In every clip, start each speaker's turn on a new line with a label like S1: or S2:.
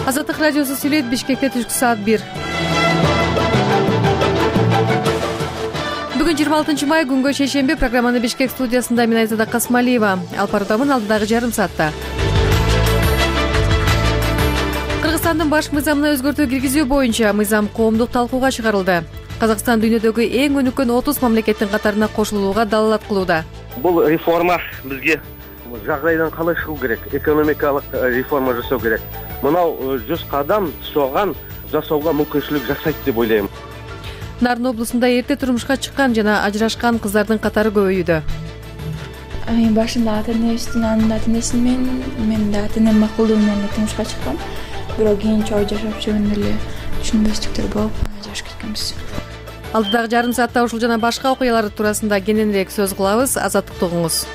S1: Азаттык радиосу сүйлөйт. Бишкекте түшкү саат 1. Бүгүн 26 май күнгө шейшемби. Программаны Бишкек студиясында мен Айзада Касмалиева алып баруудамын. Алдыдагы жарым саатта Кыргызстандын баш мыйзамына өзгөртүү киргизүү боюнча мыйзам коомдук талкууга чыгарылды. Казакстан дүйнөдөгү эң өнүккөн 30 мамлекеттин катарына кошулууга далалат кылууда.
S2: Бул реформа бизге жагдайдан калай чыгуу керек, экономикалык реформа жасоо керек. Мынау 100 кадам соган жасоого мүмкүнчүлүк жасайт деп ойлойм.
S1: Нарын облусунда эрте турмушка чыккан жана ажырашкан кыздардын катары көбөйүүдө.
S3: Мен башында ата-энесин, анын ата-энесин мен да ата-энем макулдугу менен турмушка чыккам. Бирок кийин чоң жашап жүргөндө эле түшүнбөстүктөр болуп ажырашып кеткенбиз.
S1: Алдыдагы жарым саатта ушул жана башка окуялар туурасында кененирээк сөз кылабыз. Азаттыкты угуңуз.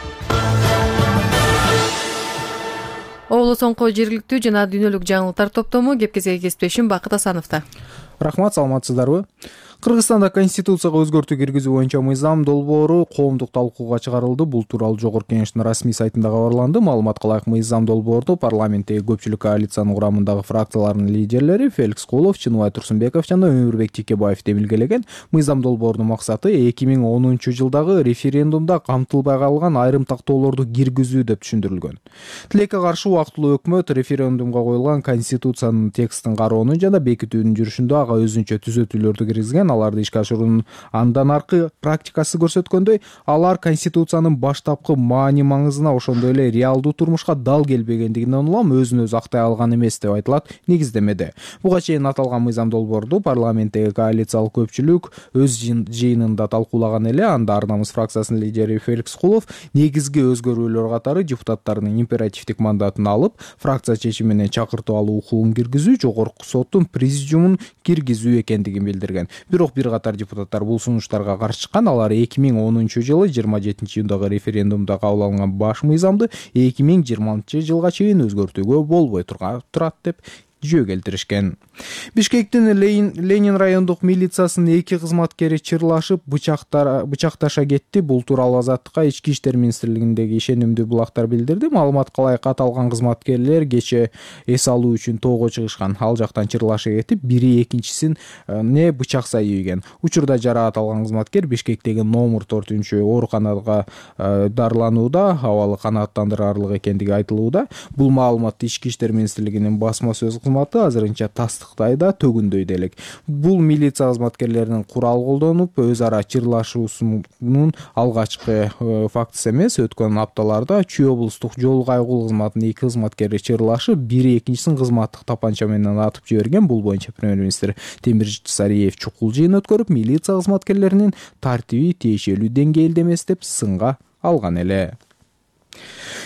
S1: Облус соңку жергиликтүү жана дүйнөлүк жаңылыктар топтому кепкезе кесиптешим Бакыт Асановдо.
S4: Рахмат, саламатсыздарбы? Кыргызстанда конституцияга өзгөртүү киргизүү боюнча мыйзам долбоору коомдук талкууга чыгарылды. Бул тууралуу Жогорку Кеңештин расмий сайтында кабарланды. Маалыматка ылайык, мыйзам долбоорду парламенттеги көпчүлүк коалициянын курамындагы фракциялардын лидерлери Феликс Кулов, Чыныбай Турсунбеков жана Өмүрбек Текебаев демилгелеген. Мыйзам долбоорунун максаты 2010 жылдагы референдумда камтылбай калган айрым тактоолорду киргизүү деп түшүндүрүлгөн. Тилекке каршы убактылуу өкмөт референдумга коюлган конституциянын текстин кароону жана бекитүүнүн жүрүшүндө ага өзүнчө түзөтүүлөрдү киргизген. Аларды ишке ашыруунун андан аркы практикасы көрсөткөндөй, алар конституциянын баштапкы маани маңызына, ошондой эле реалдуу турмушка дал келбегендигинен улам өзүн өзү актай алган эмес деп айтылат негиздемеде. Буга чейин аталган мыйзам долбоорду парламенттеги коалициялык көпчүлүк өз жыйынында талкуулаган эле. Анда Ар намыс фракциясынын лидери Феликс Кулов негизги өзгөрүүлөр катары депутаттардын императивдик мандатын алып, фракция чечими менен чакыртып алуу укугун киргизүү, жогорку соттун президиумун киргизүү экендигин билдирген. Бирок бир катар депутаттар бул сунуштарга каршы чыккан. Алар 2010 жылы 27 июндагы референдумда кабыл алынган баш мыйзамды 2020 жылга чейин өзгөртүүгө болбой турат деп жөө келтиришкен. Бишкектин Ленин райондук милициясынын 2 кызматкери чырлашып бычакташа кетти. Бул тууралуу Азаттыкка Ички иштер министрлигиндеги ишенимдүү булактар билдирди. Маалыматка ылайык, аталган кызматкерлер кече эс алуу үчүн тоого чыгышкан. Ал жактан чырлаша кетип, бири экинчисин бычак сайыйген. Учурда жараат алган кызматкер Бишкектеги номер 4 ооруканага дарыланууда, абалы канааттандырарлык экендиги айтылууда. Бул маалыматты Ички иштер министрлигинин басма сөз азырынча тастыктайда, төгүндөйдө элек. Бул милиция кызматкерлеринин курал колдонуп өз ара чырлашуусунун алгачкы фактысы эмес. Өткөн апталарда Чүй облустук жол кайгылуу кызматынын 2 кызматкери чырлашып, бири экинчисин кызматтык тапанча менен атып жиберген. Бул боюнча премьер-министр Темир Сариев чукул жыйын өткөрүп, милиция кызматкерлеринин тартиби тиешелүү деңгээлде эмес деп сынга алган эле.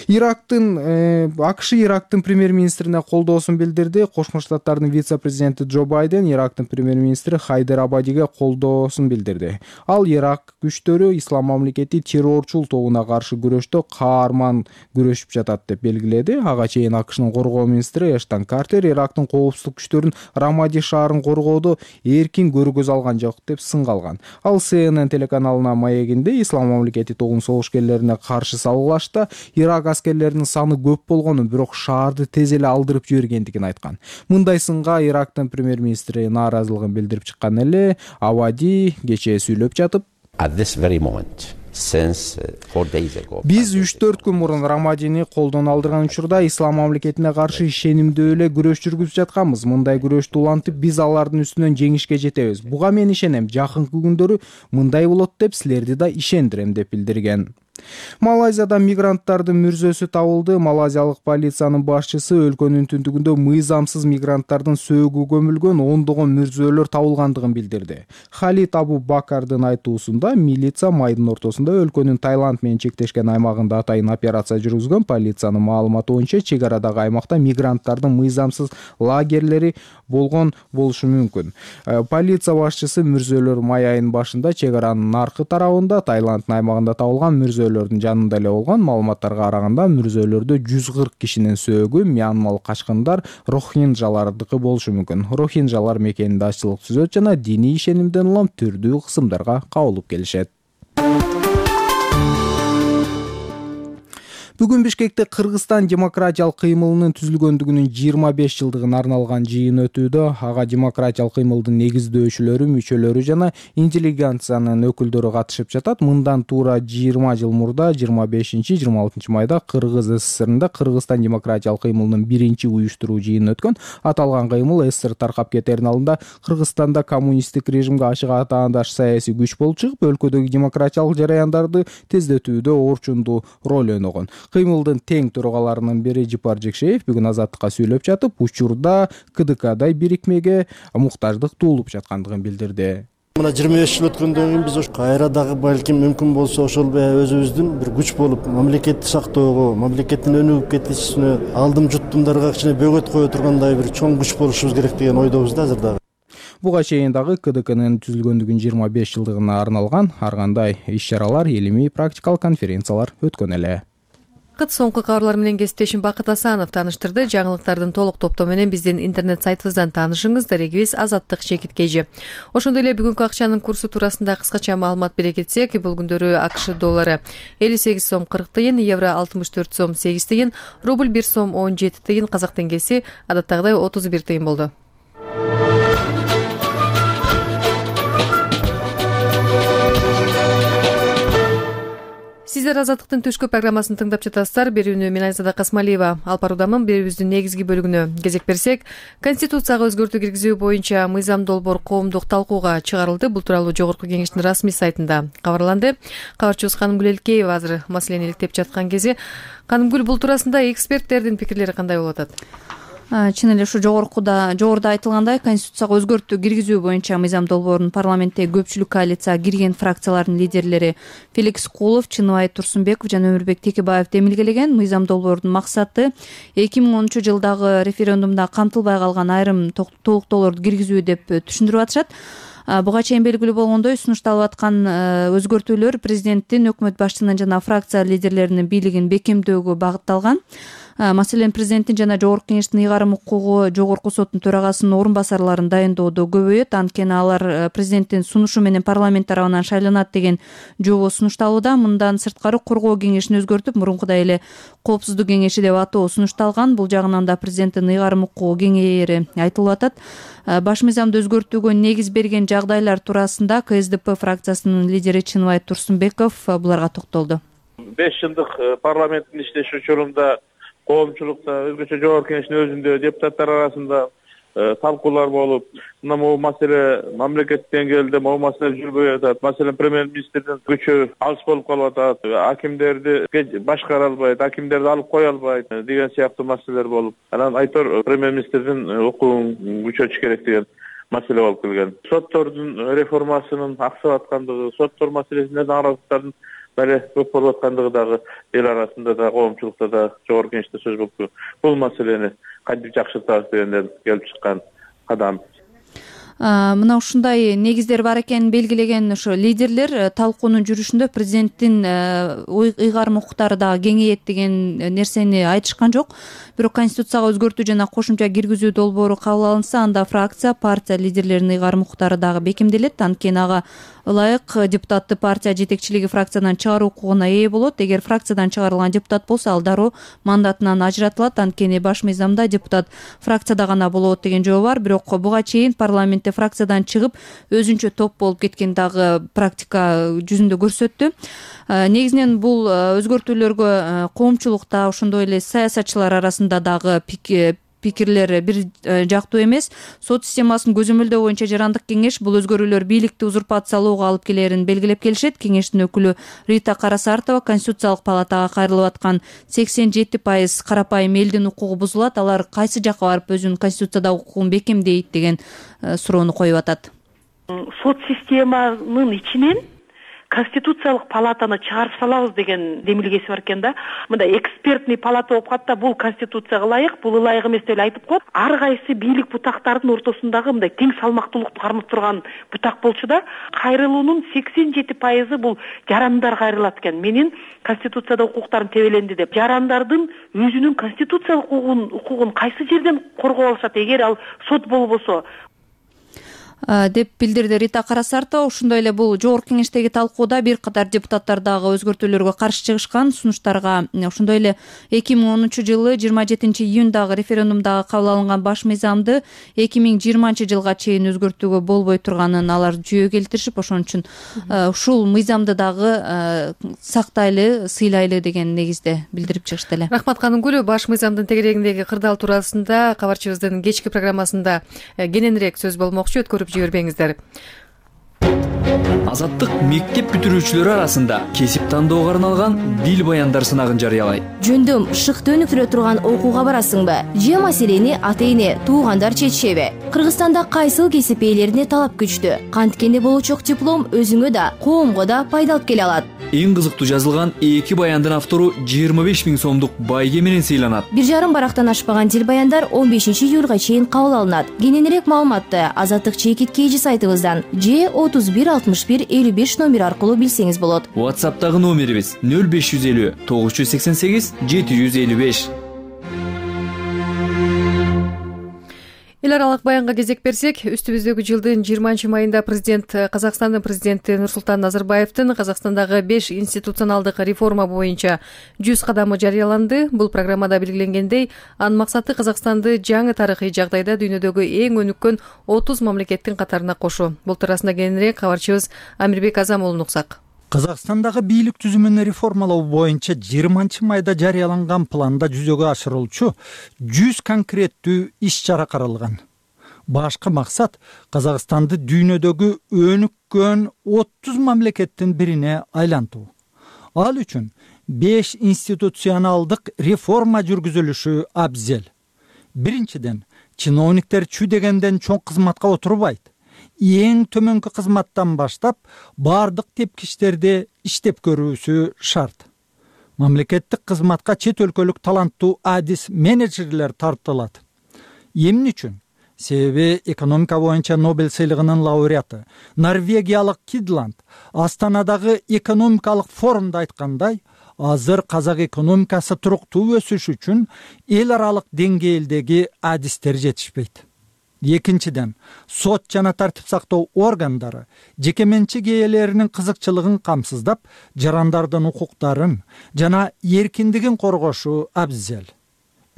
S4: АКШ Ирактын премьер-министрине колдоосун билдирди. Кошмо Штаттардын вице-президенти Джо Байден Ирактын премьер-министри Хайдер Абадиге колдоосун билдирди. Ал Ирак күчтөрү Ислам мамлекети террорчул тобуна каршы күрөштө каарман күрөшүп жатат деп белгиледи. Ага чейин АКШнын коргоо министри Эштон Картер Ирактын коопсуздук күчтөрүн Рамади шаарын коргоодо эркин көргөз алган жок деп сынга алган. Ал CNN телеканалына маегинде Ислам мамлекети тобунун согушкерлерине каршы салгылашта Ирак аскерлеринин саны көп болгонун, бирок шаарды тез эле алдырып жибергендигин айткан. Мындай сынга Ирактын премьер-министри нааразылыгын билдирип чыккан эле. Абади кечээ сүйлөп жатып, биз 3-4 күн мурун Рамадини колдон алдырган учурда Ислам мамлекетине каршы ишенимдүү эле күрөш жүргүзүп жатканбыз. Мындай күрөштү улантып, биз алардын үстүнөн жеңишке жетебиз. Буга мен ишенем. Жакынкы күндөрү мындай болот деп силерди да ишендирем деп билдирген. Малайзияда мигранттардын мүрзөсү табылды. Малайзиялык полициянын башчысы өлкөнүн түндүгүндө мыйзамсыз мигранттардын сөөгү көмүлгөн ондогон мүрзөлөр табылгандыгын билдирди. Халид Абу Бакардын айтуусунда, милиция майдын ортосунда өлкөнүн Таиланд менен чектешкен аймагында атайын операция жүргүзгөн. Полициянын маалыматы боюнча чек арадагы аймакта мигранттардын мыйзамсыз лагерлери болгон болушу мүмкүн. Полиция башчысы мүрзөлөр май айынын башында чек аранын наркы тарабында Таиланддын аймагында табылган мүрзөлөрдүн жанында эле болгон. Маалыматтарга караганда мүрзөлөрдө 140 кишинин сөөгү мьянмалык качкындар рохинджалардыкы болушу мүмкүн. Рохинджалар мекенинде ачылык түзөт жана диний ишенимден улам түрдүү кысымдарга кабылып келишет. Бүгүн Бишкекте Кыргызстан демократиялык кыймылынын түзүлгөндүгүнүн 25 жылдыгына арналган жыйын өтүүдө. Ага демократиялык кыймылдын негиздөөчүлөрү, мүчөлөрү жана интеллигенциянын өкүлдөрү катышып жатат. Мындан туура 20 жыл мурда 25-26 майда Кыргыз СССРында Кыргызстан демократиялык кыймылынын биринчи уюштуруу жыйыны өткөн. Аталган кыймыл СССР таркап кетерин алдында Кыргызстанда коммунисттик режимге ачык атаандаш саясий күч болуп чыгып, өлкөдөгү демократиялык жараяндарды тездетүүдө орчундуу роль ойногон. Кыймылдын тең төрага бири Жипар Жекшеев бүгүн Азаттыкка сүйлөп жатып, учурда КДКдай бирикмеге муктаждык туулуп жаткандыгын билдирди.
S5: Мына 25 жыл өткөндөн кийин биз кайра дагы балким мүмкүн болсо ошол өзүбүздүн бир күч болуп, мамлекетти сактоого, мамлекеттин өнүгүп кетишине, алдым жуттумдарга кичине бөгөт кое тургандай бир чоң күч болушубуз керек деген ойдобуз да азыр дагы.
S4: Буга чейин дагы КДКнын түзүлгөндүгүнүн 25 жылдыгына арналган ар кандай иш-чаралар, илимий практикалык конференциялар өткөн эле.
S1: Соңку кабарлар менен кесиптешим Бакыт Асанов тааныштырды. Жаңылыктардын толук топтому менен биздин интернет сайтыбыздан таанышыңыз. Дарегибиз Азаттык Чекиткежи. Ошондой эле бүгүнкү акчанын курсу туурасында кыскача маалымат бере кетсек, бул күндөрү АКШ доллары 58 сом 40 тыйын, евро 64 сом 8 тыйын, рубль 1 сом 17 тыйын, казак теңгеси адаттагыдай 31 тыйын болду. Сиздер Азаттыктын түшкү программасын тыңдап жатасыздар. Берүүнү мен Айзада Касмалиева алып баруудамын. Берүүбүздүн негизги бөлүгүнө кезек берсек, Конституцияга өзгөртүү киргизүү боюнча мыйзам долбоор коомдук талкууга чыгарылды. Бул тууралуу Жогорку Кеңештин расмий сайтында кабарланды. Кабарчыбыз Канымгүл Элкеева азыр маселени иликтеп жаткан кези. Канымгүл, бул туурасында эксперттердин пикирлери кандай болуп атат?
S6: Чын эле ушу жогоруда айтылгандай, Конституцияга өзгөртүү киргизүү боюнча мыйзам долбоорун парламентте көпчүлүк коалицияга кирген фракциялардын лидерлери Феликс Кулов, Чыныбай Турсунбеков жана Өмүрбек Текебаев демилгелеген. Мыйзам долбоордун максаты 2010-жылдагы референдумда камтылбай калган айрым толуктоолорду киргизүү деп түшүндүрүп атышат. Буга чейин белгилүү болгондой, сунушталып аткан өзгөртүүлөр президенттин, өкмөт башчысынын жана фракция лидерлеринин бийлигин бекемдөөгө багытталган. Маселен, президенттин жана Жогорку Кеңештин ыйгарым укугу Жогорку соттун төрагасынын орун басарларын дайындоодо көбөйөт. Анткени алар президенттин сунушу менен парламент тарабынан шайланат деген жобо сунушталууда. Мындан сырткары коргоо кеңешин өзгөртүп, мурункудай эле коопсуздук кеңеши деп атоо сунушталган. Бул жагынан да президенттин ыйгарым укугу кеңейери айтылып атат. Баш мыйзамды өзгөртүүгө негиз берген жагдайлар туурасында КСДП фракциясынын лидери Чыныбай Турсунбеков буларга токтолду.
S7: 5 жылдык парламенттин иштеши учурунда коомчулукта, өзгөчө Жогорку Кеңештин өзүндө депутаттар арасында талкуулар болуп, мына могу маселе мамлекеттик деңгээлде могу маселе жүрбөй атат. Маселен, премьер-министрдин күчү алыс болуп калып атат, акимдерди башкара албайт, акимдерди алып кое албайт деген сыяктуу маселелер болуп, анан айтор премьер-министрдин укугун күчөтүш керек деген маселе болуп келген. Соттордун реформасынын аксап аткандыгы, соттор маселесинде наразылыктардын бәле көп болуп аткандыгы дагы эл арасында да, коомчулукта да, Жогорку Кеңеште сөз болуп, бул маселени кантип жакшыртабыз дегенден келип чыккан кадам.
S6: Мына ушундай негиздер бар экенин белгилеген ошо лидерлер талкуунун жүрүшүндө президенттин ыйгарым укуктары дагы кеңейет деген нерсени айтышкан жок. Бирок Конституцияга өзгөртүү жана кошумча киргизүү долбоору кабыл алынса, анда фракция, партия лидерлеринин ыйгарым укуктары дагы бекемделет. Анткени ага ылайык депутатты партия жетекчилиги фракциядан чыгаруу укугуна ээ болот. Эгер фракциядан чыгарылган депутат болсо, ал дароо мандатынан ажыратылат. Анткени баш мыйзамда депутат фракцияда гана болот деген жобо бар. Бирок буга чейин парламентте фракциядан чыгып өзүнчө топ болуп кеткен дагы практика жүзүндө көрсөттү. Негизинен бул өзгөртүүлөргө коомчулукта, ошондой эле саясатчылар арасында дагы пикирлер бир жактуу эмес. Сот системасын көзөмөлдөө боюнча жарандык кеңеш бул өзгөрүүлөр бийликти узурпациялоого алып келерин белгилеп келишет. Кеңештин өкүлү Рита Карасартова Конституциялык палатага кайрылып аткан 87% карапайым элдин укугу бузулат, алар кайсы жакка барып өзүнүн конституциядагы укугун бекемдейт деген суроону коюп атат.
S8: Сот системанын ичинен Конституциялык палатаны чыгарып салабыз деген демилгеси бар экен да. Мындай экспертный палата болуп калат да, бул Конституцияга ылайык, бул ылайык эмес деп айтып коет. Ар кайсы бийлик бутактардын ортосундагы мындай тең салмактуулукту кармап турган бутак болчу да. Кайрылуунун 87% бул жарандар кайрылат экен. Менин Конституцияда укуктарым тебеленди деп. Жарандардын өзүнүн конституциялык укугун кайсы жерден коргоп алышат? Эгер ал сот болбосо,
S6: деп билдирди Рита Карасартова. Ошондой эле бул жогорку кеңештеги талкууда бир катар депутаттар дагы өзгөртүүлөргө каршы чыгышкан. Сунуштарга ошондой эле 2010-жылы 27-июндагы референдумдагы кабыл алынган баш мыйзамды 2020-жылга чейин өзгөртүүгө болбой турганын алар жүйө келтиришип, ошон үчүн ушул мыйзамды дагы сактайлы, сыйлайлы деген негизде билдирип чыгышты эле.
S1: Рахмат Канынгүл. Баш мыйзамдын тегерегиндеги кырдаал туурасында кабарчыбыздын кечки программасында кененирээк сөз болмокчу. Өткөрүп жибербеңиздер.
S9: Азаттык мектеп бүтүрүүчүлөрү арасында кесип тандоого арналган дил баяндар сынагын жарыялайт.
S10: Жөндөм шыкты өнүктүрө турган окууга барасыңбы? Же маселени ата-эне, туугандар чечишеби? Кыргызстанда кайсыл кесип ээлерине талап күчтүү? Канткенде болучок диплом өзүңө да, коомго да пайда алып келе алат.
S9: Эң кызыктуу жазылган 2 баяндын автору 25 000 сомдук байге менен сыйланат.
S10: 1,5 барактан ашпаган дил баяндар 15-июлга чейин кабыл алынат. Кененирээк маалыматты Азаттык чекиткейжи сайтыбыздан же 31 61 55 номер аркылуу билсеңиз болот.
S9: WhatsApp'тагы номерибиз 0550 988 755.
S1: Эл аралык баянга кезек берсек, үстүбүздөгү жылдын 20-майында Казакстандын президенти Нурсултан Назарбаевдин Казакстандагы 5 институционалдык реформа боюнча 100 кадамы жарыяланды. Бул программада белгиленгендей, анын максаты Казакстанды жаңы тарыхый жагдайда дүйнөдөгү эң өнүккөн 30 мамлекеттин катарына кошуу. Бул туурасында кененирээк кабарчыбыз Амирбек Азамуулун уксак.
S11: Казакстандагы бийлик түзүмүн реформалоо боюнча 20-майда жарыяланган планда жүзөгө ашырылчу 100 конкреттүү иш-чара каралган. Башкы максат Казакстанды дүйнөдөгү өнүккөн 30 мамлекеттин бирине айлантуу. Ал үчүн 5 институционалдык реформа жүргүзүлүшү абзел. Биринчиден, чиновниктер чүй дегенден чоң кызматка отурбайт. Эң төмөнкү кызматтан баштап бардык тепкичтерди иштеп көрүүсү шарт. Мамлекеттик кызматка чет өлкөлүк таланттуу адис менеджерлер тартылат. Эмне үчүн? Себеби экономика боюнча Нобель сыйлыгынын лауреаты норвегиялык Кидланд Астанадагы экономикалык форумда айткандай, азыр казак экономикасы туруктуу өсүш үчүн эл аралык деңгээлдеги адистер жетишпейт. Экинчиден, сот жана тартип сактоо органдары жеке менчик ээлеринин кызыкчылыгын камсыздап, жарандардын укуктарын жана эркиндигин коргошу абзел.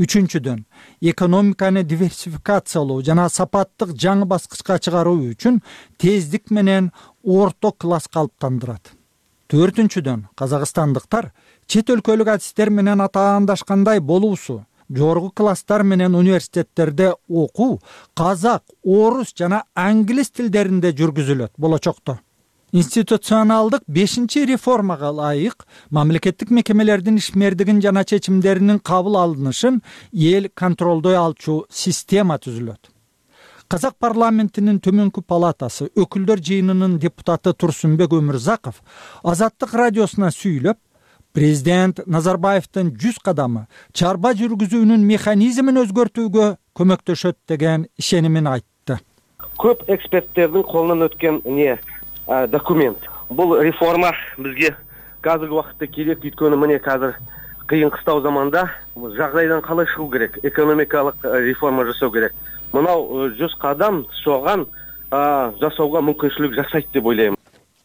S11: Үчүнчүдөн, экономиканы диверсификациялоо жана сапаттык жаңы баскычка чыгаруу үчүн тездик менен орто класс калыптандырат. Төртүнчүдөн, казакстандыктар чет өлкөлүк адистер менен атаандашкандай болуусу, жогорку класстар менен университеттерде окуу казак, орус жана англис тилдеринде жүргүзүлөт болочокто. Институционалдык 5-чи реформага ылайык мамлекеттик мекемелердин ишмердигин жана чечимдеринин кабыл алынышын эл контролдой алчу система түзүлөт. Казак парламентинин төмөнкү палатасы өкүлдөр жыйынынын депутаты Турсунбек Өмүрзаков Азаттык радиосуна сүйлөп, президент Назарбаевдин 100 кадамы чарба жүргүзүүнүн механизмин өзгөртүүгө көмөктөшөт деген ишенимин айтты.
S2: Көп эксперттердин колунан өткөн документ. Бул реформа бизге азыркы убакытта керек, өйткөнү мына азыр кыйын кыстау заманда жагдайдан калай чыгуу керек, экономикалык реформа жасоо керек. Мынау 100 кадам соган жасоого мүмкүнчүлүк жасайт деп ойлойм.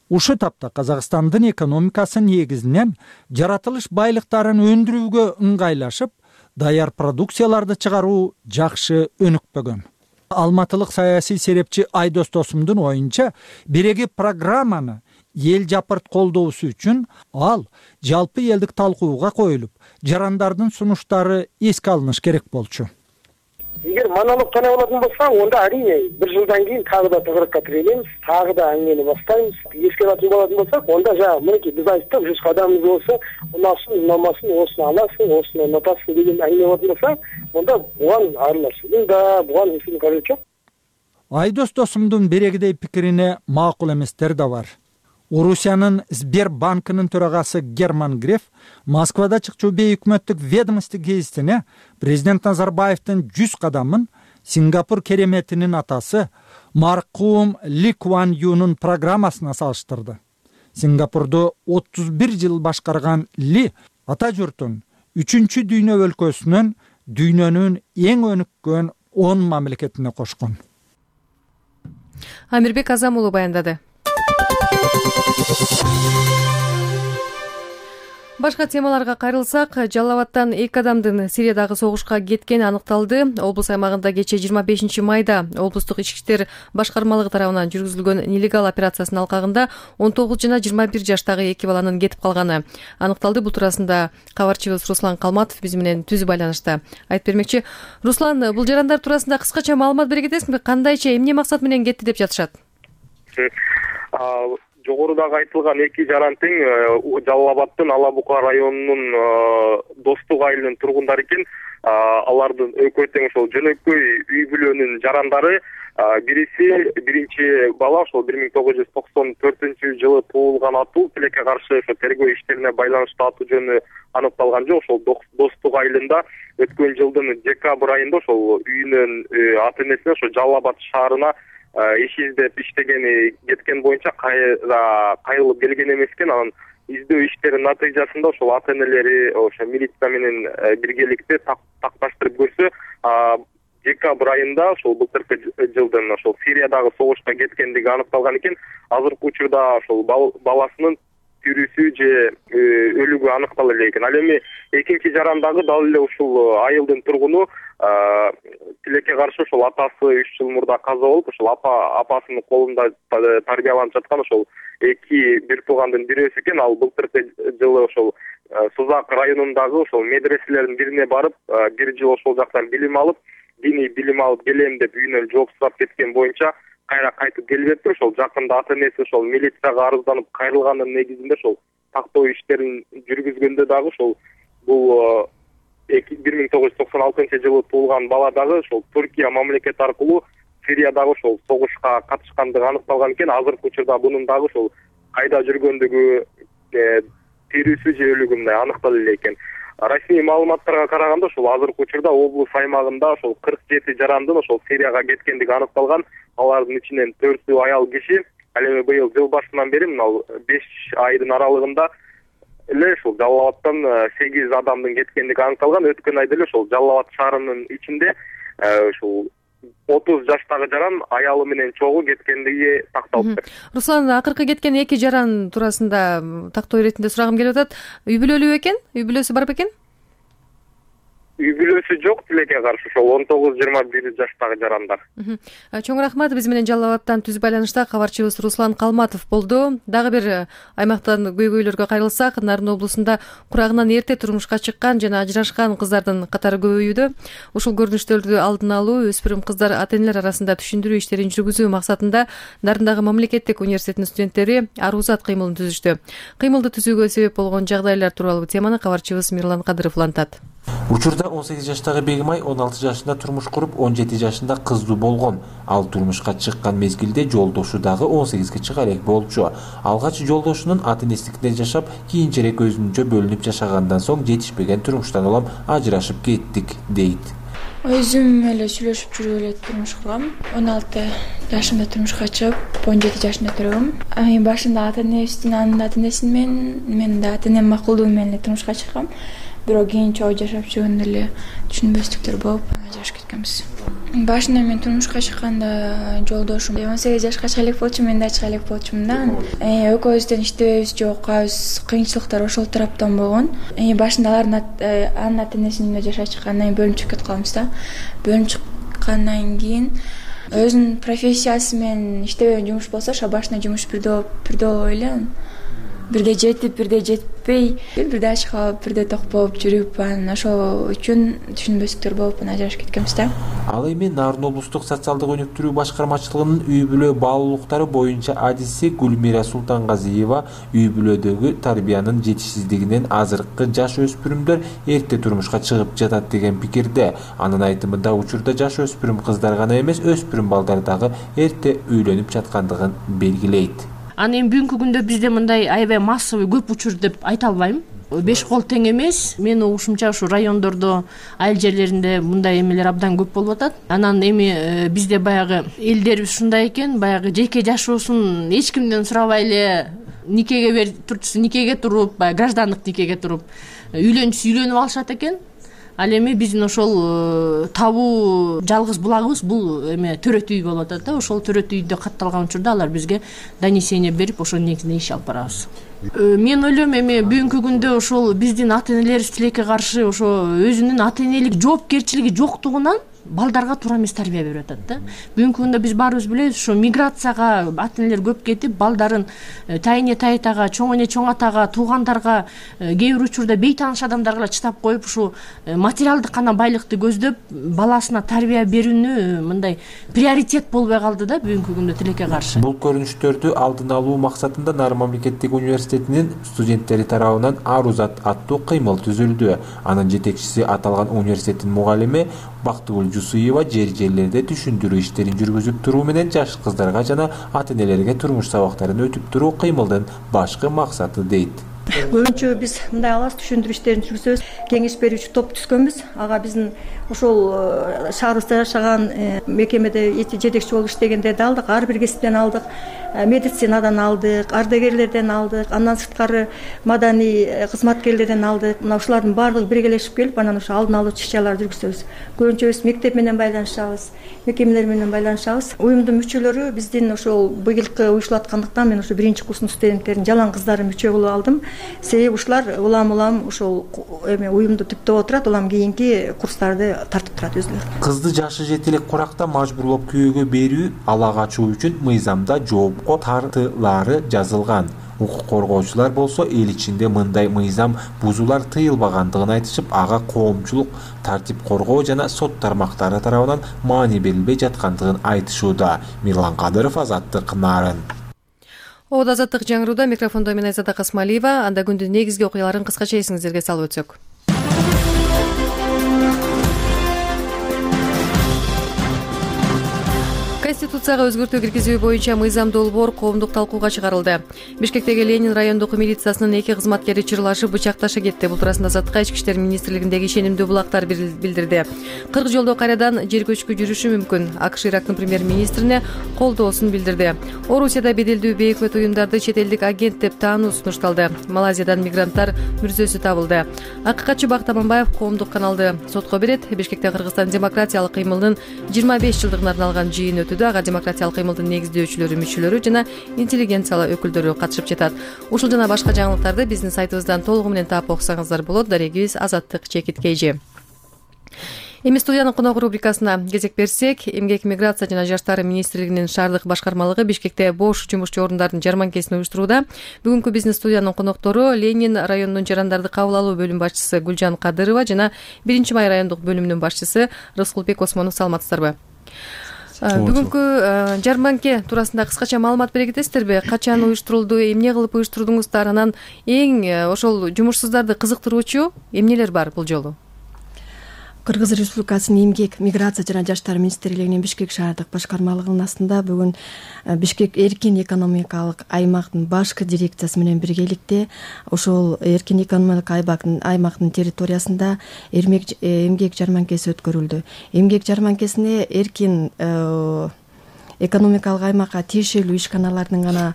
S11: Ушу тапта Казакстандын экономикасы негизинен жаратылыш байлыктарын өндүрүүгө ыңгайлашып, даяр продукцияларды чыгаруу жакшы өнүкпөгөн. Алматылык саясий серепчи Айдос Досумдун оюнча, биреги программаны эл жапырт колдоосу үчүн ал жалпы элдик талкууга коюлуп, жарандардын сунуштары эске алыныш керек болчу.
S12: Эгер монолог тана болатын болса, онда әрине бір жылдан кейін тағы да тығырыққа тірелеміз, тағы да әңгімені бастаймыз. Еске алатын болатын болсақ, онда жаңа мінекей біз айттық, 100 қадамымыз болса, ұнасын, ұнамасын, осыны аласың, осыны ұнатасың деген әңгіме болатын болса, онда бұған араласудың да, бұған ешкім қажеті жоқ.
S11: Айдос Досумдун берегидей пикирине макул эместер да бар. Орусиянын Сбербанкынын төрагасы Герман Греф Москвада чыкчу бейөкмөттүк ведомство гезитине президент Назарбаевдин 100 кадамын Сингапур кереметинин атасы маркум Ли Куан Юнун программасына салыштырды. Сингапурду 31 жыл башкарган Ли ата журтун 3-чү дүйнө өлкөсүнөн дүйнөнүн эң өнүккөн 10 мамлекетине кошкон.
S1: Амирбек Азам уулу баяндады. Башка темаларга кайрылсак, Жалал Абадтан 2 адамдын Сириядагы согушка кеткени аныкталды. Облус аймагында кечээ 25 майда облустук ички иштер башкармалыгы тарабынан жүргүзүлгөн нелегал операциясынын алкагында 19 жана 21 жаштагы 2 баланын кетип калганы аныкталды. Бул туурасында кабарчыбыз Руслан Калматов биз менен түз байланышта айтып бермекчи. Руслан, бул жарандар туурасында кыскача маалымат бере кетесиңби? Кандайча, эмне максат менен кетти деп жатышат?
S13: Жогорудагы айтылган 2 жаран тең Жалал Абадтын Ала Бука районунун Достук айылынын тургундары экен. Алардын экөө тең ошол жөнөкөй үй бүлөнүн жарандары. Бириси биринчи бала ошол 1994-жылы туулган атуу, тилекке каршы тергөө иштерине байланыштуу атуу жөнү аныкталган жок. Ошол Достук айылында өткөн жылдын декабрь айында ошол үйүнөн ата-энесине ошо Жалал Абад шаарына иш издеп иштегени кеткен боюнча кайрылып келген эмес экен. Анан издөө иштеринин натыйжасында ошол ата-энелери ошо милиция менен биргеликте такташтырып көрсө, декабрь айында ошол былтыркы жылдын ошол Сириядагы согушка кеткендиги аныкталган экен. Азыркы учурда ошол баласынын тирүүсү же өлүгү аныктала элек экен. Ал эми экинчи жарандагы дал эле ушул айылдын тургуну тилекке каршы ошол атасы 3 жыл мурда каза болуп, ошол апасынын колунда тарбияланып жаткан ошол 2 бир туугандын бирөөсү экен. Ал былтыркы жылы ошол Сузак районундагы ошол медреселердин бирине барып, 1 жыл ошол жактан билим алып, диний билим алып келем деп үйүнөн жооп сурап кеткен боюнча кайра кайтып келбептир. Ошол жакында ата-энеси ошол милицияга арызданып кайрылганын негизинде ошол тактоо иштерин жүргүзгөндө дагы ошол бул 1996-жылы туулган бала дагы ошол Түркия мамлекети аркылуу Сириядагы ошол согушка катышкандыгы аныкталган экен. Азыркы учурда бунун дагы ошол кайда жүргөндүгү, тирүүсү же өлүгү мындай аныктала элек экен. Расмий маалыматтарга караганда ошол азыркы учурда облус аймагында ошол 47 жарандын ошол Сирияга кеткендиги аныкталган. Алардын ичинен 4-ü аял киши. Ал эми быйыл жыл башынан бери мына 5 айдын аралыгында эле ошол Жалал Абадтан 8 адамдын кеткендиги аныкталган. Өткөн айда эле ошол Жалал Абад шаарынын ичинде ошол 30 жаштагы жаран аялы менен чогуу кеткендиги такталыптыр.
S1: Руслан, акыркы кеткен 2 жаран туурасында тактоо иретинде сурагым келип атат. Үй бүлөлүү экен? Үй бүлөсү бар бекен?
S13: Үй бүлөсү жок, тилекке каршы ошол 19-21 жаштагы жарандар.
S1: Чоң рахмат. Биз менен Жалал Абадтан түз байланышта кабарчыбыз Руслан Калматов болду. Дагы бир аймактан көйгөйлөргө кайрылсак, Нарын облусунда курагынан эрте турмушка чыккан жана ажырашкан кыздардын катары көбөйүүдө. Ушул көрүнүштөрдү алдын алуу, өспүрүм кыздар ата-энелер арасында түшүндүрүү иштерин жүргүзүү максатында Нарындагы мамлекеттик университетинин студенттери Арузат кыймылын түзүштү. Кыймылды түзүүгө себеп болгон жагдайлар тууралуу теманы кабарчыбыз Мирлан Кадыров улантат.
S14: Учурда 18 жаштагы Бегимай 16 жашында турмуш куруп, 17 жашында кыздуу болгон. Ал турмушка чыккан мезгилде жолдошу дагы 18ге чыга элек болчу. Алгач жолдошунун ата-энесиндикинде жашап, кийинчерээк өзүнчө бөлүнүп жашагандан соң жетишпеген турмуштан улам ажырашып кеттик, дейт.
S3: Өзүм эле сүйлөшүп жүрүп эле турмуш кургам. 16 жашымда турмушка чыгып, 17 жашында төрөгөм. Башында ата-энесин, анын ата-энесин мен да ата-энем макулдугу менен турмушка чыккам. Бирок кийин чогуу жашап жүргөндө эле түшүнбөстүктөр болуп ажырашып кеткенбиз. Башында мен турмушка чыкканда жолдошум 18 жашка чыга элек болчу, мен да чыга элек болчумун да. Экөөбүздөн иштебейбиз же окуйбуз, кыйынчылыктар ошол тараптан болгон. Башында анын ата-энесинин үйүндө жашап чыккандан кийин бөлүнүп чыгып кетип калганбыз да. Бөлүнүп чыккандан кийин өзүнүн профессиясы менен иштебеген жумуш болсо, ошо башында жумуш бирдөө болуп эле. Бирде жетип, бирде жетпей, бирде ачык калып, бирде ток болуп жүрүп, ошол үчүн түшүнбөстүктөр болуп ажырашып кеткенбиз да.
S14: Ал эми Нарын облустук социалдык өнүктүрүү башкармачылыгынын үй бүлө баалуулуктары боюнча адиси Гүлмира Султангазиева үй бүлөдөгү тарбиянын жетишсиздигинен азыркы жаш өспүрүмдөр эрте турмушка чыгып жатат деген пикирде. Анын айтымында учурда жаш өспүрүм кыздар гана эмес, өспүрүм балдар дагы эрте үйлөнүп жаткандыгын белгилейт.
S15: Аны эми бүгүнкү күндө бизде мындай аябай массовый көп учур деп айта албайм. 5 кол тең эмес. Мен угушумча ушу райондордо, айыл жерлеринде мындай эмелер абдан көп болуп атат. Анан эми бизде баягы элдерибиз ушундай экен, баягы жеке жашоосун эч кимден сурабай эле никеге туруп, баягы граждандык никеге туруп үйлөнүп алышат экен. Ал эми биздин ошол табуу жалгыз булагыбыз бул эме төрөт үй болуп атат да. Ошол төрөт үйдө катталган учурда алар бизге донесение берип, ошонун негизинде иш алып барабыз. Мен ойлойм, эми бүгүнкү күндө ошол биздин ата энелерибиз тилекке каршы ошо өзүнүн ата энелик жоопкерчилиги жоктугунан балдарга туура эмес тарбия берип атат да. Бүгүнкү күндө биз баарыбыз билебиз, ошо миграцияга ата энелер көп кетип, балдарын тайыне тайтага, чоң эне чоң атага, туугандарга, кээ бир учурда бейтааныш адамдарга чыдап коюп, ушу материалдык гана байлыкты көздөп, баласына тарбия берүүнү мындай приоритет болбой калды да бүгүнкү күндө тилекке каршы.
S14: Бул көрүнүштөрдү алдын алуу максатында Нары мамлекеттик университетинин студенттери тарабынан Арузат аттуу кыймыл түзүлдү. Анын жетекчиси аталган университеттин мугалими Бактыгүл Жусуева жерлерде түшүндүрүү иштерин жүргүзүп туруу менен жаш кыздарга жана ата энелерге турмуш сабактарын өтүп туруу кыймылдын башкы максаты дейт.
S16: Көбүнчө биз мындай алабыз, түшүндүрүү иштерин жүргүзөбүз. Кеңеш берүүчү топ түзгөнбүз. Ага биздин ошол шаарыбызда жашаган мекемеде жетекчи болуп иштегендерди алдык, ар бир кесиптен алдык, медицинадан алдык, ардагерлерден алдык, андан сырткары маданий кызматкерлерден алдык. Мына ушулардын баардыгы биргелешип келип, анан ошо алдын алуу иш-чараларды жүргүзөбүз. Көбүнчө биз мектеп менен байланышабыз, мекемелер менен байланышабыз. Уюмдун мүчөлөрү биздин ошол быйылкы уюштулаткандыктан мен ошо 1-курстун студенттерин жалаң кыздарын мүчө кылып алдым. Себеби ушулар улам ошол эме уюмду түптөп отурат, улам кийинки курстарды тартып турат өзүлөрү.
S14: Кызды жашы жете элек куракта мажбурлап күйөөгө берүү ала качуу үчүн мыйзамда жоопко тартылары жазылган. Укук коргоочулар болсо эл ичинде мындай мыйзам бузуулар тыйылбагандыгын айтышып, ага коомчулук, тартип коргоо жана сот тармактары тарабынан маани берилбей жаткандыгын айтышууда. Мирлан Кадыров, Азаттык, Нарын.
S1: Обод Азаттык жаңырууда микрофондо мен Айзада Касмалиева. Анда күндүн негизги окуяларын кыскача эсиңиздерге салып өтсөк. Конституцияга өзгөртүү киргизүү боюнча мыйзам долбоор коомдук талкууга чыгарылды. Бишкектеги Ленин райондук милициясынын 2 кызматкери чырлашып бычакташа кетти. Бул туурасында Азаттыкка Ички иштер министрлигиндеги ишенимдүү булактар билдирди. 40 жолдо кайрадан жер көчкү жүрүшү мүмкүн. АКШ Ирактын премьер-министрине колдоосун билдирди. Орусияда беделдүү бейөкмөт уюмдарды чет элдик агент деп таануу сунушталды. Малайзиядан мигранттар мүрзөсү табылды. АККчы Бакыт Аманбаев коомдук каналды сотко берет. Бишкекте Кыргызстан демократиялык кыймылынын 25 жылдыгына арналган жыйын өтүүдө. Ага демократиялык кыймылдын негиздөөчүлөрү, мүчөлөрү жана интеллигенциялар өкүлдөрү катышып жатат. Ушул жана башка жаңылыктарды биздин сайтыбыздан толугу менен таап окусаңыздар болот. Дарегибиз Азаттык ЧКТ. Эми студиянын конок рубрикасына кезек берсек, Эмгек, миграция жана жаштар министрлигинин шаардык башкармалыгы Бишкекте бош жумушчу орундардын жарманкесин уюштурууда. Бүгүнкү биздин студиянын коноктору Ленин районунун жарандарды кабыл алуу бөлүм башчысы Гүлжан Кадырова жана 1-май райондук бөлүмүнүн башчысы Рыскулбек Осмонов. Саламатсыздарбы? Бүгүнкү жарманке туурасында кыскача маалымат бере кетесиздерби? Качан уюштурулду, эмне кылып уюштурдуңуздар? Анан эң ошол жумушсуздарды кызыктыруучу эмнелер бар бул жолу?
S16: Кыргыз Республикасынын Эмгек, миграция жана жаштар министрлигинин Бишкек шаардык башкармалыгынын астында бүгүн Бишкек эркин экономикалык аймактын башкы дирекциясы менен биргеликте ошол эркин экономикалык аймактын территориясында эмгек жарманкеси өткөрүлдү. Эмгек жарманкесине эркин экономикалык аймакка тиешелүү ишканалардын гана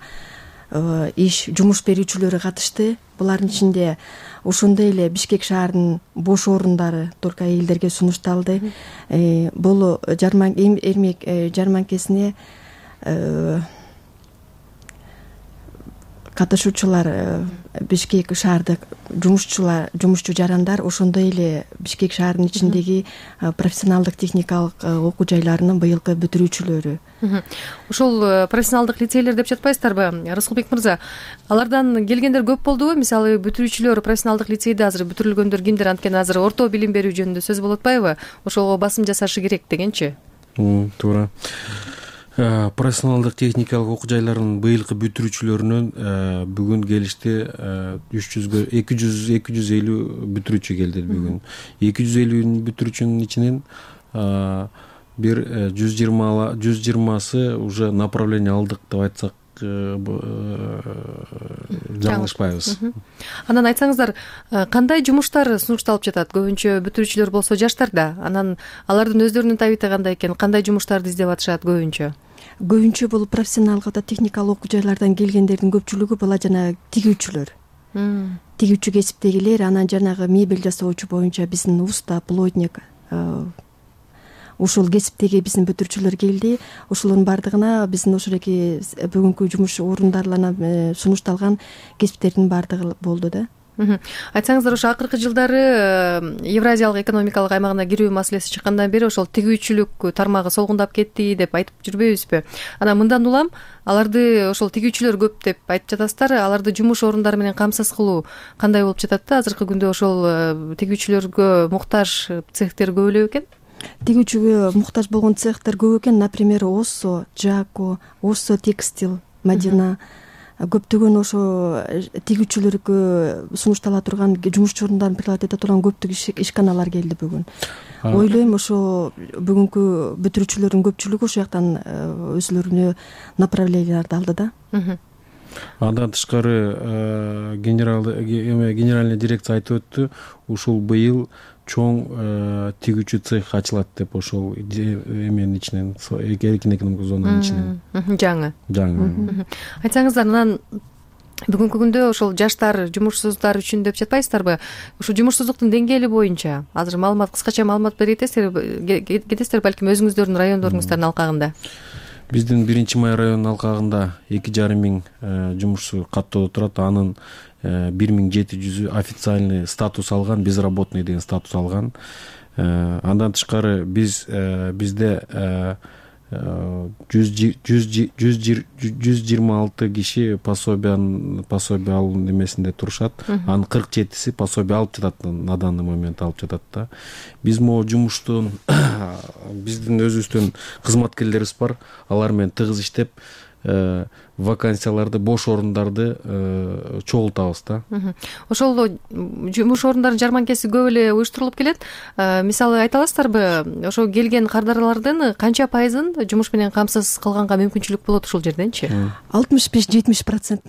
S16: жумуш берүүчүлөрү катышты. Булардын ичинде ошондой эле Бишкек шаарынын бош орундары только элдерге сунушталды. Бул эмгек жарманкесине катышуучулар Бишкек шаардык жумушчу жарандар, ошондой эле Бишкек шаарынын ичиндеги профессионалдык техникалык окуу жайларынын быйылкы бүтүрүүчүлөрү.
S1: Ушул профессионалдык лицейлер деп жатпайсыздарбы? Рыскулбек мырза, алардан келгендер көп болдубу? Мисалы бүтүрүүчүлөр профессионалдык лицейде азыр бүтүрүлгөндөр кимдер? Анткени азыр орто билим берүү жөнүндө сөз болуп атпайбы? Ошого басым жасашы керек дегенчи.
S17: Туура. Профессионалдык техникалык окуу жайларынын быйылкы бүтүрүүчүлөрүнөн бүгүн келишти 250 бүтүрүүчү келди бүгүн. 250 бүтүрүүчүнүн ичинен бир 120сы уже направление алдык деп айтсак жаңылышпайбыз.
S1: Анан айтсаңыздар, кандай жумуштар сунушталып жатат? Көбүнчө бүтүрүүчүлөр болсо жаштар да. Анан алардын өздөрүнүн табиты кандай экен? Кандай жумуштарды издеп атышат көбүнчө?
S16: Көбүнчө бул профессионалдык техникалык окуу жайлардан келгендердин көпчүлүгү бала жана тигүүчүлөр.
S18: тигүүчү кесиптегилер, анан жанагы мебель жасоочу боюнча биздин уста, плотник, ушул кесиптеги биздин бүтүрүүчүлөр келди. Ушулардын баардыгына биздин ошолоки бүгүнкү жумуш орундарларына сунушталган кесиптердин баардыгы болду да.
S1: Айтсаңыздар, ошо акыркы жылдары Евразиялык экономикалык аймагына кирүү маселеси чыккандан бери ошол тигүүчүлүк тармагы солгундап кетти деп айтып жүрбөйбүзбү? Анан мындан улам аларды ошол тигүүчүлөр көп деп айтып жатасыздар. Аларды жумуш орундары менен камсыз кылуу кандай болуп жатат да? Азыркы күндө ошол тигүүчүлөргө муктаж цехтер көп эле бекен?
S18: Тигүүчүгө муктаж болгон цехтер көп экен. Например, Осо, Жако, Осо текстил, Мадина, көптөгөн ошо тигүүчүлөргө сунуштала турган, жумушчу орундарын прикладывать эте турган көптөгөн ишканалар келди бүгүн. Ойлойм, ошо бүгүнкү бүтүрүүчүлөрдүн көпчүлүгү ошол жактан өзүлөрүнө направленияларды алды да.
S17: Андан тышкары генеральный дирекция айтып өттү, ушул быйыл чоң тигүүчү цех ачылат деп, ошол эменин ичинен, эркин экономикалык зонанын ичинен. Жаңы.
S1: Айтсаңыздар, анан бүгүнкү күндө ошол жаштар, жумушсуздар үчүн деп жатпайсыздарбы? Ушул жумушсуздуктун деңгээли боюнча азыр маалымат, кыскача маалымат кетесиздер балким өзүңүздөрдүн райондоруңуздун алкагында?
S17: Биздин 1-Май районунун алкагында 2,5 миң жумушчу каттоодо турат. Анын 1700 официальный статус алган, безработный деген статус алган. Андан тышкары бизде 126 киши пособие алуу немесинде турушат. Анын 47си пособие алып жатат, на данный момент алып жатат да. Биз могу жумуштун биздин өзүбүздүн кызматкерлерибиз бар. Алар менен тыгыз иштеп, вакансияларды, бош орундарды чогултабыз да.
S1: Ошол жумуш орундарын жарманкеси көп эле уюштурулуп келет. Мисалы айта аласыздарбы, ошо келген кардарлардын канча пайызын жумуш менен камсыз кылганга мүмкүнчүлүк болот ушул жерденчи?
S18: 65-70%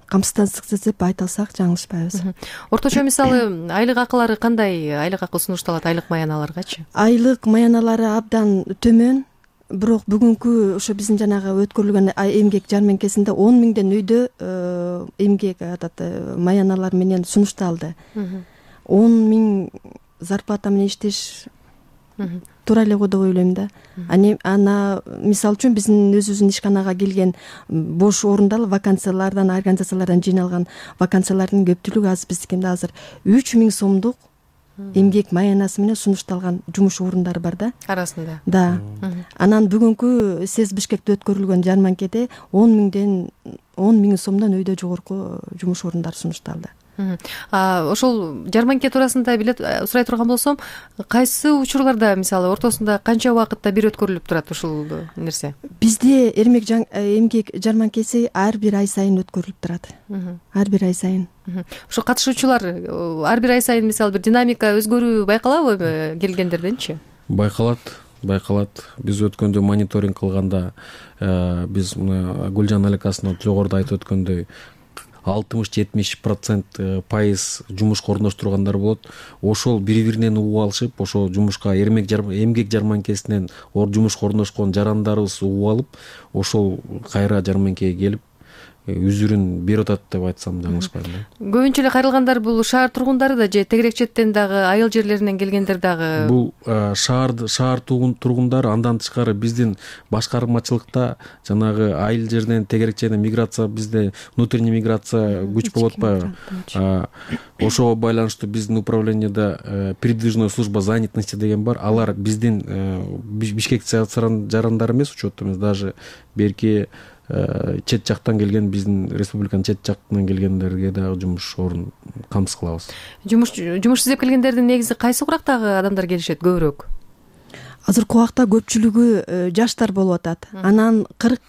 S18: камсыздансыз деп айта алсак жаңылышпайбыз.
S1: Орточо мисалы айлык акылары кандай айлык акы сунушталат айлык маяналаргачы?
S18: Айлык маяналары абдан төмөн. Бирок бүгүнкү ошо биздин жанагы өткөрүлгөн эмгек жарманкесинде 10 миңден өйдө эмгек маяналар менен сунушталды. 10 миң зарплата менен иштеш туура эле го деп ойлойм да. Ана мисалы үчүн биздин өзүбүздүн ишканага келген бош орундар, вакансиялардан, организациялардан жыйналган вакансиялардын көпчүлүгү азыр биздикинде азыр 3 миң сомдук эмгек маянасы менен сунушталган жумуш орундары бар да.
S1: Арасында.
S18: Да. Анан бүгүнкү СЭС Бишкекте өткөрүлгөн жарманкеде 10 миң сомдон өйдө жогорку жумуш орундары сунушталды.
S1: Ошол жарманке туурасында сурай турган болсом, кайсы учурларда мисалы ортосунда канча убакытта бир өткөрүлүп турат ушул нерсе?
S18: Бизде эмгек жарманкеси ар бир ай сайын өткөрүлүп турат. Ар бир ай сайын.
S1: Ошо катышуучулар ар бир ай сайын мисалы бир динамика өзгөрүү байкалабы келгендерденчи?
S17: Байкалат. Биз өткөндө мониторинг кылганда биз мына Гүлжан Аликасовна жогоруда айтып өткөндөй 60-70% пайыз жумушка орноштургандар болот. Ошол бири-биринен угуп алышып, ошо жумушка эмгек жарманкесинен жумушка орношкон жарандарыбыз угуп алып, ошол кайра жарманкеге келип үзүрүн берип атат деп айтсам жаңылышпайм.
S1: Көбүнчө эле кайрылгандар бул шаар тургундары да же тегерек четтен дагы айыл жерлеринен келгендер дагы?
S17: Бул шаар тургундары, андан тышкары биздин башкармачылыкта жанагы айыл жеринен, тегерек жеринен миграция, бизде внутренний миграция күч болуп атпайбы? Ошого байланыштуу биздин управлениеда передвижная служба занятости деген бар. Алар биздин Бишкек жарандары эмес, учет эмес, даже берки чет жактан келген, биздин республиканын чет жактан келгендерге дагы жумуш орун камсыз кылабыз.
S1: Жумуш издеп келгендердин негизи кайсы курактагы адамдар келишет көбүрөөк?
S18: Азыркы убакта көпчүлүгү жаштар болуп атат. Анан 40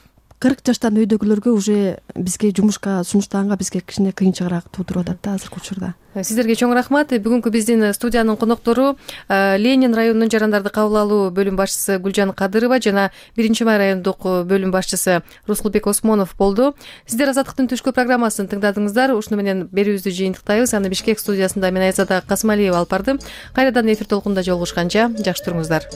S18: жаштан өйдөгүлөргө уже бизге жумушка сунуштаганга бизге кичине кыйынчыгыраак туудуруп атат да азыркы учурда.
S1: Сиздерге чоң рахмат. Бүгүнкү биздин студиянын коноктору Ленин районунун жарандарды кабыл алуу бөлүм башчысы Гүлжан Кадырова жана 1-Май райондук бөлүм башчысы Рускулбек Осмонов болду. Сиздер Азаттыктын түшкү программасын тыңдадыңыздар. Ушуну менен берүүбүздү жыйынтыктайбыз. Аны Бишкек студиясында мен Айзада Касмалиева алып бардым. Кайрадан эфир толкунунда жолугушканча жакшы туруңуздар.